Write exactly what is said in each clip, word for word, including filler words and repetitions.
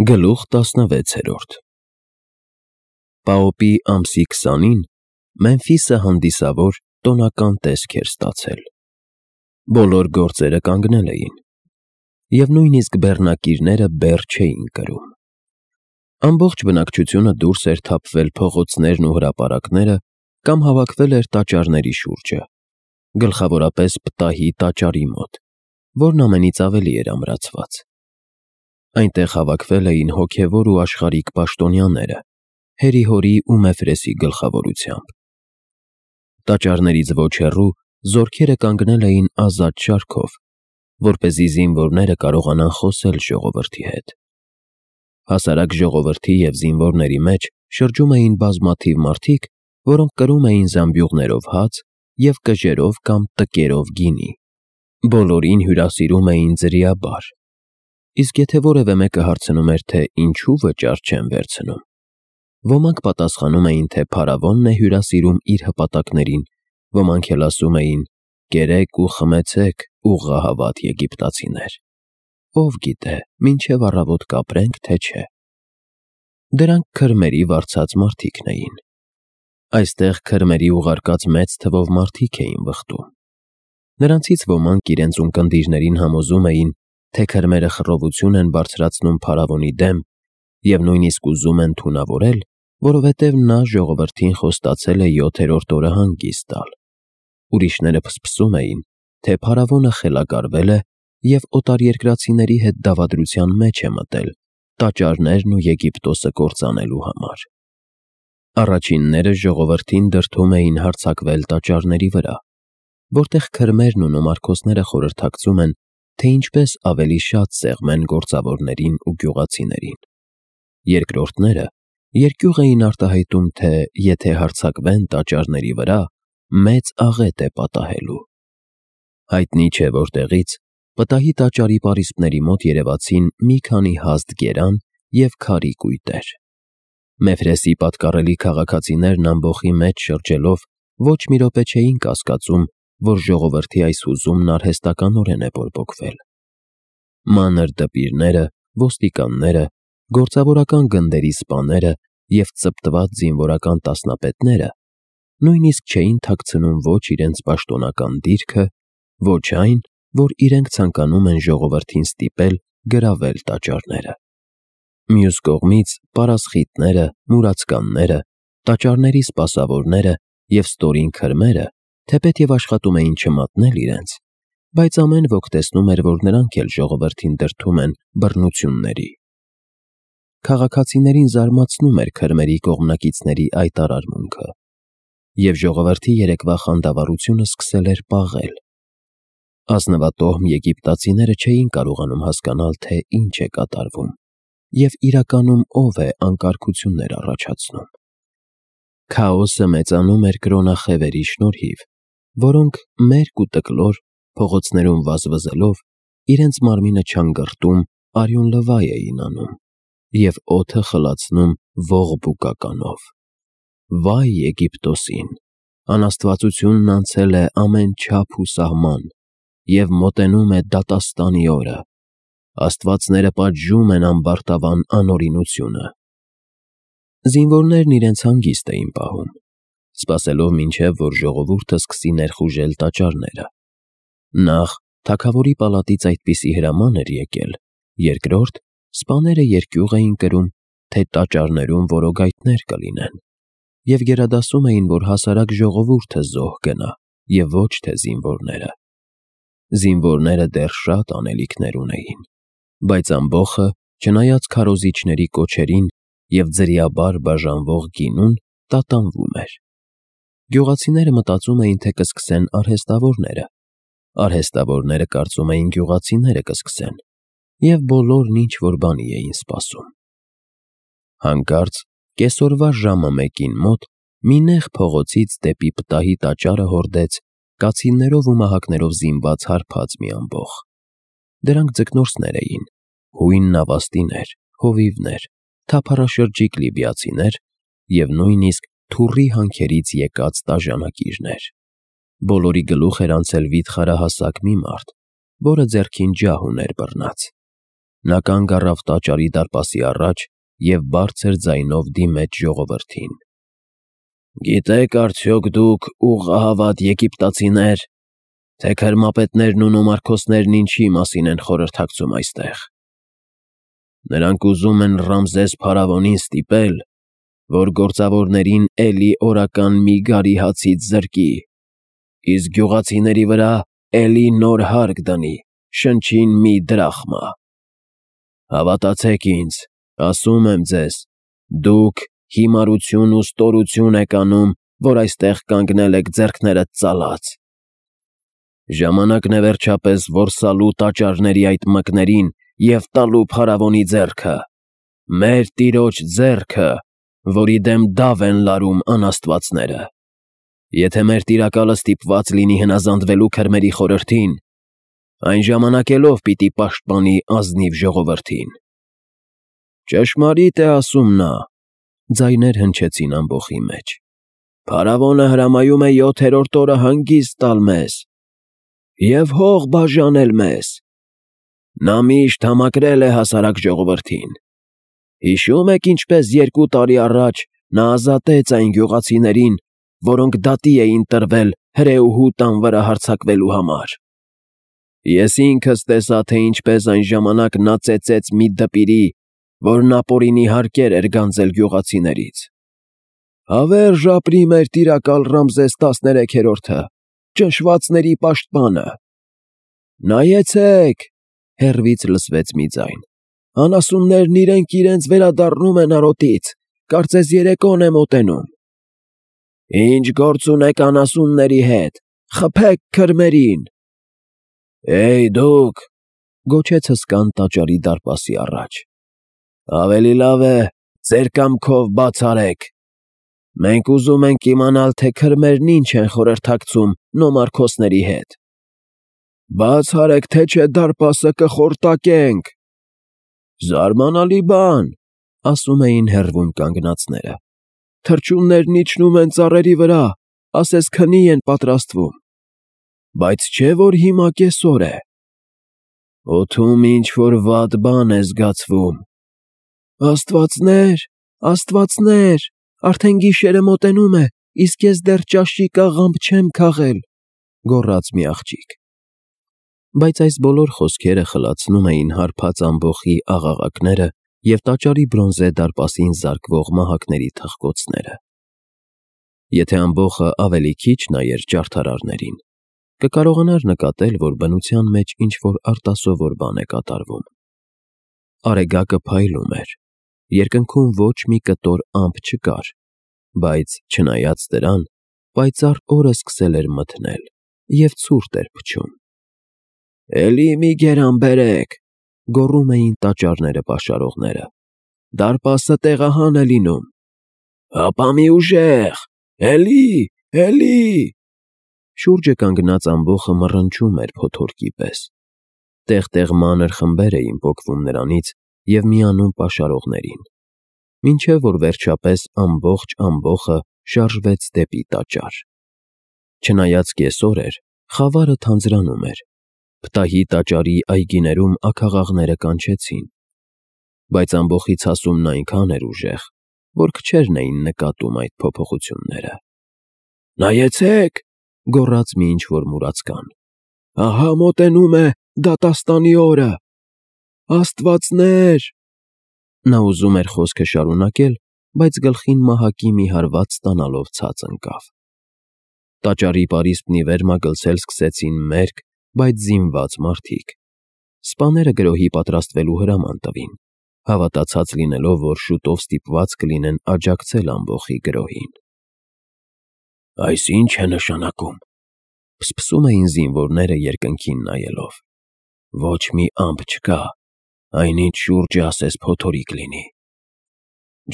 Գլուխ տասնվեցերորդ Պաոպի ամսի քսանին Մեմֆիսը հանդիսավոր տոնական տեսք էր ստացել. բոլոր գործերը կանգնել էին, և նույնիսկ բեռնակիրները բեռ չէին կրում. ամբողջ բնակչությունը դուրս էր թափվել փողոցներն ու հրապարակները կամ հավաքվել էր տաճարների շուրջը, գլխավորապես պտահի տաճարի մոտ, որն ամենից ավելի էր ամրացված. Այնտեղ հավաքվել էին հոգևոր ու աշխարհիկ պաշտոնյաները, Հերիհորի ու Մեֆրեսի գլխավորությամբ: Տաճարներից ոչ հեռու զորքերը կանգնել էին ազատ շարքով, որպեսզի զինվորները կարողանան խոսել ժողովրդի հետ: Հասարակ ժողովրդի և զինվորների մեջ շրջում էին բազմաթիվ մարդիկ, որոնք կրում էին զամբյուղներով հաց և կժերով կամ տկերով գինի: Բոլորին հյուրասիրում էին ձրիաբար: Իսկ եթե որևէ մեկը հարցնում էր, թե ինչու վճար չեն վերցնում, ոմանք պատասխանում էին, թե փարավոնն է հյուրասիրում իր հպատակներին, ոմանք էլ ասում էին. «Կերեք ու խմեցեք, ուղղահավատ եգիպտացիներ, ով գիտե, մինչև առավոտ կապրենք, թե չէ»: Դրանք քրմերի վարձած մարդիկն էին: Այստեղ քրմերի ուղարկած մեծ թվով մարդիկ էին վխտում: Նրանցից ոմանք իրենց ունկնդիրներին համոզում էին, թե քրմերը խռովություն են բարձրացնում փարավոնի դեմ և նույնիսկ ուզում են թունավորել, որովհետև նա ժողովրդին խոստացել է յոթերորդ օրը հանգիստ տալ: Ուրիշները փսփսում էին, թե փարավոնը խելագարվել է և օտարերկրացիների հետ դավադրության մեջ է մտել տաճարներն ու Եգիպտոսը կործանելու համար: Առաջինները ժողովրդին դրդում էին հարձակվել տաճարների վրա, որտեղ քրմերն ու նոմարքոսները խորհրդակցում են, թե ինչպես ավելի շատ սեղմեն գործավորներին ու գյուղացիներին: Երկրորդները երկյուղ էին արտահայտում, թե եթե հարձակվեն տաճարների վրա, մեծ աղետ է պատահելու: Հայտնի չէ որտեղից, պտահի տաճարի պարիսպների մոտ երևացին մի քանի հաստ գերան և քարի կույտեր: Մեֆրեսի պատկառելի քաղաքացիներն ամբոխի մեջ շրջելով ոչ մի րոպե չէին կասկածում, որ ժողովրդի այս հուզումն արհեստականորեն է բորբոքվել: Մանր դպիրները, ոստիկանները, գործավորական գնդերի սպաները և ծպտված զինվորական տասնապետները նույնիսկ չէին թաքցնում ոչ իրենց պաշտոնական դիրքը, ոչ այն, որ իրենք ցանկանում են ժողովրդին ստիպել գրավել տաճարները: Մյուս կողմից պարասխիտները, մուրացկանները, տաճարների սպասավորները և ստորին քրմերը թեպետև աշխատում էին չմատնել իրենց, բայց ամեն ոք տեսնում էր, որ նրանք էլ ժողովրդին դրդում են բռնությունների: Քաղաքացիներին զարմացնում էր քրմերի կողմնակիցների այդ արարմունքը, և ժողովրդի երեկվա խանդավառությունը սկսել էր պաղել: Ազնվատոհմ եգիպտացիները չէին կարողանում հասկանալ, թե ինչ է կատարվում և իրականում ով է անկարգություններ առաջացնում: Քաոսը մեծանում էր կրոնախևերի շնորհիվ, որոնք մերկ ու տկլոր, փողոցներում վազվզելով, իրենց մարմինը չանգըրտում արյունլվայ էին անում և օդը խլացնում ողբուկականով: Վայ Եգիպտոսին, անաստվածությունն անցել է ամեն չափ ու սահման և մոտենում է դատաստանի օրը: Աստվածները պատժում են ամբարտավան անօրինությունը: Զինվորներն իրենց հանգիստ էին պահում, սպասելով մինչև որ ժողովուրդը սկսի ներխուժել տաճարները: Նախ, թագավորի պալատից այդպիսի հրաման էր եկել, երկրորդ, սպաները երկյուղ էին կրում, թե տաճարներում որոգայթներ կլինեն և գերադասում էին, որ հասարակ ժողովուրդը զոհ գնա և ոչ թե զինվորները: Զինվորները դեռ շատ անելիքներ ունեին, բայց ամբոխը, չնայած քարոզիչների կոչերին և ձրիաբար բաժանվող գինուն, տատանվում էր: Գյուղացիները մտածում էին, թե կսկսեն արհեստավորները, արհեստավորները կարծում էին գյուղացիները կսկսեն և բոլորն ինչ-որ բանի էին սպասում: Հանկարծ կեսօրվա ժամը մեկին մոտ մի նեղ փողոցից դեպի պտահի տաճարը հորդեց կացիններով ու մահակներով զինված հարբած մի ամբոխ: Դրանք ձկնորսներ էին, հույն նավաստիներ, հովիվներ, թափառաշրջիկ լիբիացիներ և նույնիսկ թուռի հանքերից եկած տաժանակիրներ: Բոլորի գլուխ էր անցել վիթխարահասակ մի մարդ, որը ձեռքին ջահ ուներ բռնած: Նա կանգ առավ տաճարի դարպասի առաջ և բարձր ձայնով դիմեց ժողովրդին. «Գիտեք արդյոք դուք ուղղահավատ եգիպտացիներ, թե քրմապետներն ու նոմարքոսներն ինչի մասին են խորհրդակցում այստեղ։ Նրանք ուզում են Ռամզես փարավոնին ստիպել, որ գործավորներին էլի օրական մի գարի հացից զրկի, իսկ գյուղացիների վրա էլի նոր հարկ դնի, շնչին մի դրախմա։ Հավատացեք ինձ, ասում եմ ձեզ, դուք հիմարություն ու ստորություն եք անում, որ այստեղ կանգնել եք ձեռքներդ ծալած։ Ժամանակն է վերջապես որսալու տաճարների այդ մկներին և տալու փարավոնի ձեռքը, մեր տիրոջ ձեռքը, որի դեմ դավ են լարում անաստվածները։ Եթե մեր տիրակալը ստիպված լինի հնազանդվելու քրմերի խորհրդին, այն ժամանակելով պիտի պաշտպանի ազնիվ ժողովրդին»։ «Ճշմարիտ է ասում նա», ձայներ հնչեցին ամբոխի մեջ, «փարավոնը հրամայում է յոթերորդ օրը հանգիստ տալ մեզ և հող բաժանել մեզ։ Նա միշտ համակրել է հասարակ ժողովրդին։ Հիշո՞ւմ եք, ինչպես երկու տարի առաջ նա ազատեց այն գյուղացիներին, որոնք դատի էին տրվել հրեուհու տան վրա հարձակվելու համար։ Ես ինքս տեսա, թե ինչպես այն ժամանակ նա ծեծեց մի դպիրի, որն ապօրինի հարկեր էր գանձել գյուղացիներից։ Հավերժ ապրի մեր տիրակալ Ռամզես տասներեքերորդը, ճնշվածների պաշտպանը։ Նայեցե՛ք», հեռվից լսվեց մի ձայն, «անասուններն իրենք իրենց վերադառնում են արոտից, կարծես երեկոն է մոտենում։ Ինչ գործ ունեք անասունների հետ, խփեք քրմերին»։ «Էյ դուք», գոչեց հսկան տաճարի դարպասի առաջ, «ավելի լավ է ձեր կամքով բաց արեք։ Մենք ուզում ենք իմանալ, թե քրմերն ինչ են խորհրդակցում նոմարքոսների հետ։ Բաց արեք, թե չէ դարպասը կխորտակենք»։ «Զարմանալի բան», ասում էին հեռվում կանգնածները, «թռչուններն իջնում են ծառերի վրա, ասես քնի են պատրաստվում։ Բայց չէ՞ որ հիմա կեսօր է։ Օդում ինչ֊որ վատ բան է զգացվում։ Աստվածնե՛ր, աստվածնե՛ր, արդեն գիշերը մոտենում է, իսկ ես դեռ ճաշի կաղամբ չեմ քաղել», գոռաց մի աղջիկ։ Բայց այս բոլոր խոսքերը խլացնում էին հարբած ամբոխի աղաղակները և տաճարի բրոնզե դարպասին զարկվող մահակների թխկոցները։ Եթե ամբոխը ավելի քիչ նայեր ջարդարարներին, կկարողանար նկատել, որ բնության մեջ ինչ-որ արտասովոր բան է կատարվում։ Արեգակը փայլում էր, երկնքում ոչ մի կտոր ամպ չկար, բայց, չնայած դրան, պայծառ օրը սկսել էր մթնել և ցուրտ էր փչում։ «Էլի մի գերան բերեք», գոռում էին տաճարները պաշարողները, «դարպասը տեղահան է լինում։ Հապա մի ուժեղ, էլի, էլի»։ Շուրջը կանգնած ամբոխը մռնչում էր փոթորկի պես։ Տեղ֊տեղ մանր խմբեր էին պոկվում նրանից և միանում պաշարողներին, մինչև որ վերջապես ամբողջ ամբոխը շարժվեց դեպի տաճար։ Չնայած կեսօր էր, խավարը թանձրանում էր, Փտահի տաճարի այգիներում աքաղաղները կանչեցին, բայց ամբոխի ցասումն այնքան էր ուժեղ, որ քչերն էին նկատում այդ փոփոխությունները։ «Նայեցե՛ք», գոռաց մի ինչ֊որ մուրացկան, «ահա մոտենում է դատաստանի օրը։ Աստվածնե՛ր»։ Նա ուզում էր խոսքը շարունակել, բայց գլխին մահակի մի հարված ստանալով ցած ընկավ։ Տաճարի պարիսպն ի վեր մագլցել սկսեցին մերկ, բայց զինված մարդիկ։ Սպաները գրոհի պատրաստվելու հրաման տվին, հավատացած լինելով, որ շուտով ստիպված կլինեն աջակցել ամբոխի գրոհին։ «Այս ի՞նչ է նշանակում», փսփսում էին զինվորները երկնքին նայելով։ «Ոչ մի ամպ չկա, այնինչ շուրջը ասես փոթորիկ լինի»։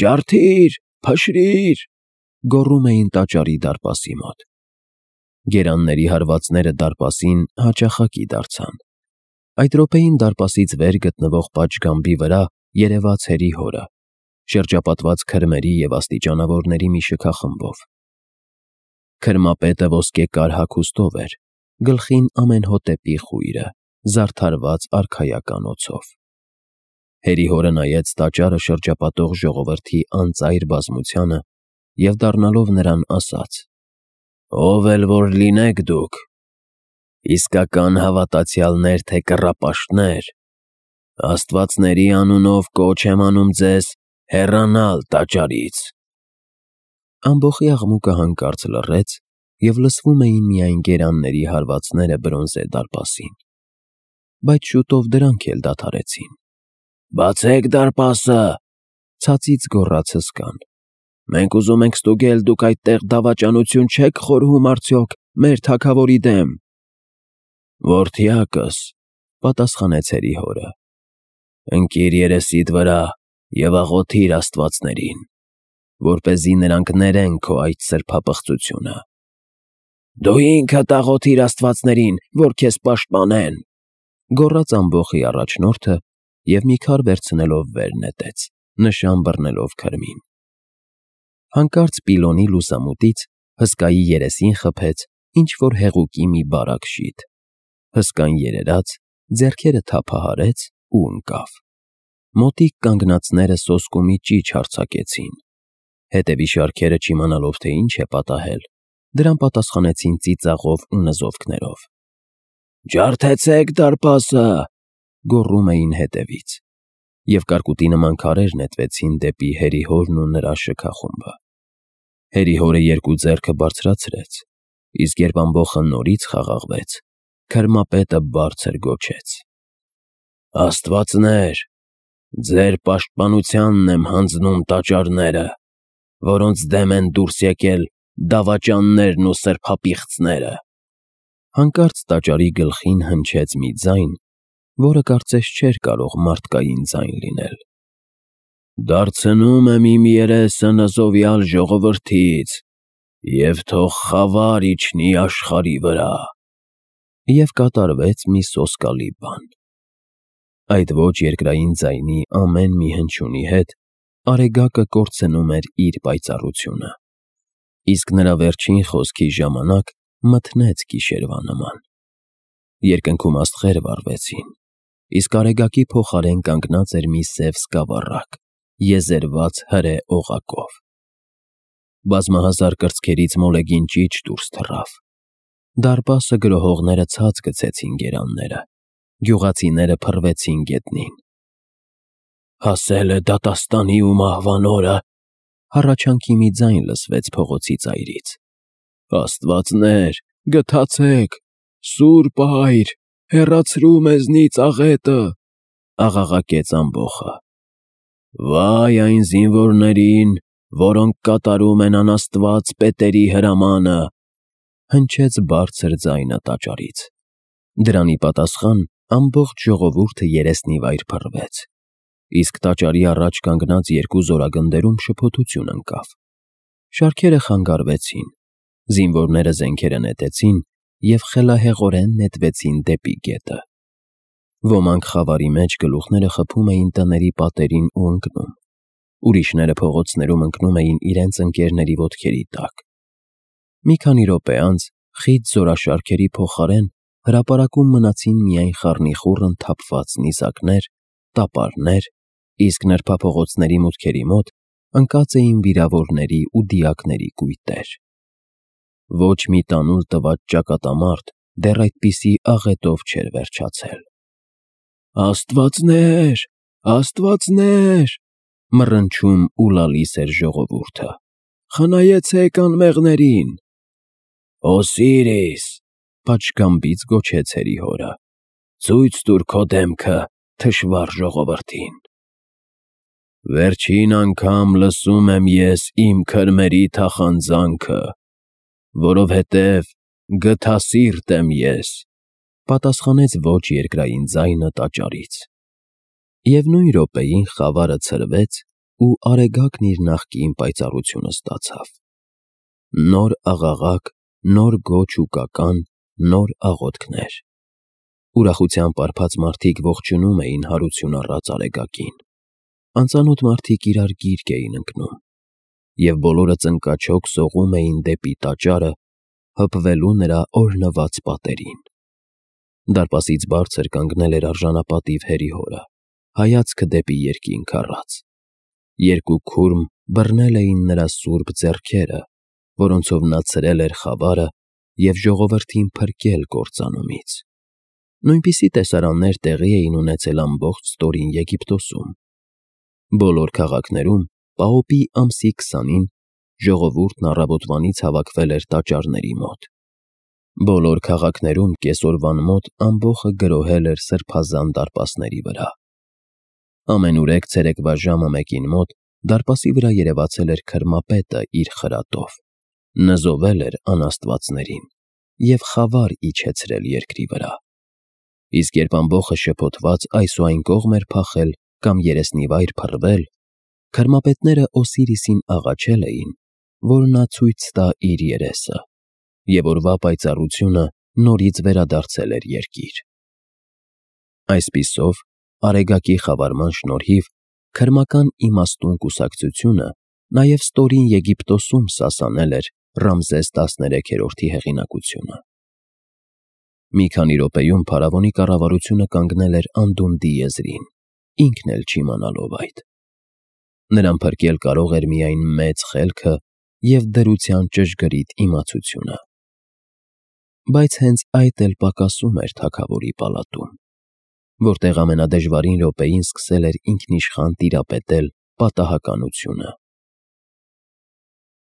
«Ջարդի՛ր, փշրի՛ր», գոռում էին տաճարի դարպասի մոտ։ Գերանների հարվածները դարպասին հաճախակի դարձան։ Այդ րոպեին դարպասից վեր գտնվող պատշգամբի վրա երևաց հերի հորը, շրջապատված քրմերի և աստիճանավորների մի շքախմբով։ Քրմապետը ոսկեկար հագուստով էր, գլխին ամենհոտեպի խույրը, զարդարված արքայական օձով։ Հերի հորը նայեց տաճարը շրջապատող ժողովրդի անծայր բազմությանը և դառնալով նրան ասաց. «Ով էլ որ լինեք դուք, իսկական հավատացյալներ թե կռապաշտներ, աստվածների անունով կոչ եմ անում ձեզ հեռանալ տաճարից»։ Ամբոխի աղմուկը հանկարծ լռեց, և լսվում էին միայն գերանների հարվածները բրոնզե դարպասին, բայց շուտով դրանք էլ դադարեցին։ «Բացեք դարպասը», ցածից գոռաց հսկան։ «Մենք ուզում ենք ստուգել, դուք այդտեղ դավաճանություն չեք խորհում արդյոք մեր թագավորի դեմ»։ «Որդյակս», պատասխանեց հերի հորը, «ընկիր երեսիդ վրա և աղոթիր աստվածներին, որպեսզի նրանք ներեն քո այդ սրբապղծությունը»։ «Դու ինքդ աղոթիր աստվածներին, որ քեզ պաշտպանեն», գոռաց ամբոխի առաջնորդը և մի քար վերցնելով վեր նետեց, նշան բռնելով քրմին։ Հանկարծ Պիլոնի լուսամուտից հսկայի երեսին խփեց ինչ-որ հեղուկի մի բարակ շիթ։ Հսկան երերաց, ձեռքերը թափահարեց ու ընկավ։ Մոտիկ կանգնածները սոսկումի ճիչ արձակեցին։ Հետևի շարքերը չիմանալով, թե ինչ է պատահել, դրան պատասխանեցին ծիծաղով ու նզովքներով։ «Ջարդեցեք դարպասը», գոռում էին հետևից, և կարկուտի նման քարեր նետվեցին դեպի հերի հորն ու նրա շքախումբը։ Հերի հորը երկու ձեռքը բարձրացրեց, իսկ երբ ամբոխը նորից խաղաղվեց, քրմապետը բարձր գոչեց. «Աստվածներ, ձեր պաշտպանությանն եմ հանձնում տաճարները, որոնց դեմ են դուրս եկել դավաճաններն ու սրբապիղծները»։ Հանկարծ տաճարի գլխին հնչեց մի ձայն, որը կարծես չէր կարող մարդկային ձայն լինել. «Դարձնում եմ իմ երեսը նզովյալ ժողովրդից, և թող խավար իջնի աշխարհի վրա»։ Եվ կատարվեց մի սոսկալի բան։ Այդ ոչ երկրային ձայնի ամեն մի հնչյունի հետ Արեգակը կորցնում էր իր պայծառությունը, իսկ նրա վերջին խոսքի ժամանակ մթնեց գիշերվա նման։ Երկնքում աստղեր վառվեցին, իսկ Արեգակի փոխարեն կանգնած էր մի սև սկավառակ, եզերված հրե օղակով։ Բազմահազար կրծքերից մոլեգին ճիչ դուրս թռավ։ Դարպասը գրոհողները ցած գցեցին գերանները, գյուղացիները փռվեցին գետնին։ «Հասել է դատաստանի ու մահվան օրը», հառաչանքի մի ձայն լսվեց փողոցի ծայրից։ «Աստվածներ, գթացեք, Սուրբ Այր, հեռացրու մեզնից աղետը», աղաղակեց ամբոխը։ «Վայ այն զինվորներին, որոնք կատարում են անաստված պետերի հրամանը», հնչեց բարձր ձայնը տաճարից։ Դրանի պատասխան ամբողջ ժողովուրդը երեսնիվայր փռվեց, իսկ տաճարի առաջ կանգնած երկու զորագնդերում շփոթություն ընկավ։ Շարքերը խանգարվեցին, զինվորները զենքերը նետեցին և խելահեղորեն նետվեցին դեպի գետը։ Ոմանք խավարի մեջ գլուխները խփում էին տների պատերին ու ընկնում, ուրիշները փողոցներում ընկնում էին իրենց ընկերների ոտքերի տակ։ Մի քանի րոպե անց խիտ զորաշարքերի փոխարեն հրապարակում մնացին միայն խառնիխուռն թափված նիզակներ, տապարներ, իսկ նրբափողոցների մուտքերի մոտ ընկած էին վիրավորների ու դիակների կույտեր։ Ոչ մի տանուլ տված ճակատամարտ դեռ այդպիսի աղետով չէր վերջացել։ «Աստվածներ, աստվածներ», մռնչում ու լալիս էր ժողովուրդը, «խնայեցեք անմեղներին»։ «Օսիրիս», պատշգամբից գոչեց հերի հորը, «ցույց տուր քո դեմքը թշվառ ժողովրդին»։ «Վերջին անգամ լսում եմ ես իմ քրմերի թախանձանքը, որովհետև գթասիրտ եմ ես», պատասխանեց ոչ երկրային ձայնը տաճարից։ Եվ նույն րոպեին խավարը ցրվեց ու Արեգակն իր նախկին պայծառությունը ստացավ։ Նոր աղաղակ, նոր գոչ ու կական, նոր աղոթքներ։ Ուրախությամբ պարփած մարդիկ ողջունում էին հարություն առած Արեգակին։ Անծանոթ մարդիկ իրար գիրկ էին ընկնում, և բոլորը ծնկաչոք սողում էին դեպի տաճարը, հպվելու նրա օրհնված պատերին։ Դարպասից բարձր կանգնել էր արժանապատիվ հերի հորը, հայացքը դեպի երկինք առած։ Երկու քուրմ բռնել էին նրա սուրբ ձեռքերը, որոնցով նա ցրել էր խավարը և ժողովրդին փրկել կործանումից։ Նույնպիսի տեսարաններ տեղի էին ունեցել ամբողջ ստորին Եգիպտոսում։ Բոլոր քաղաքներում Պաոպի ամսի քսանին ժողովուրդն առավոտվանից հավաքվել էր տաճարների մոտ։ Բոլոր քաղաքներում կեսօրվան մոտ ամբոխը գրոհել էր սրբազան դարպասների վրա։ Ամենուրեք ցերեկվա ժամը մեկին մոտ դարպասի վրա երևացել էր քրմապետը իր խրատով, նզովել էր անաստվածներին և խավար իջեցրել երկրի վրա։ Իսկ երբ ամբոխը շփոթված այս ու այն կողմ էր փախել կամ երեսնիվայր փռվել, քրմապետները Օսիրիսին աղաչել էին, որ նա ցույց տա իր երեսը, և օրվա պայծառությունը նորից վերադարձել էր երկիր։ Այսպիսով, Արեգակի խավարման շնորհիվ քրմական իմաստուն կուսակցությունը նաև ստորին Եգիպտոսում սասանել էր Ռամզես տասներեքերորդի հեղինակությունը։ Մի քանի րոպեում փարավոնի կառավարությունը կանգնել էր անդունդի եզրին, ինքն էլ չիմանալով այդ։ Նրան փրկել կարող էր միայն մեծ խելքը և դրության ճշգրիտ իմացությունը։ Բայց հենց այդ էլ պակասում էր թագավորի պալատում, որտեղ ամենադժվարին րոպեին սկսել էր ինքնիշխան տիրապետել պատահականությունը։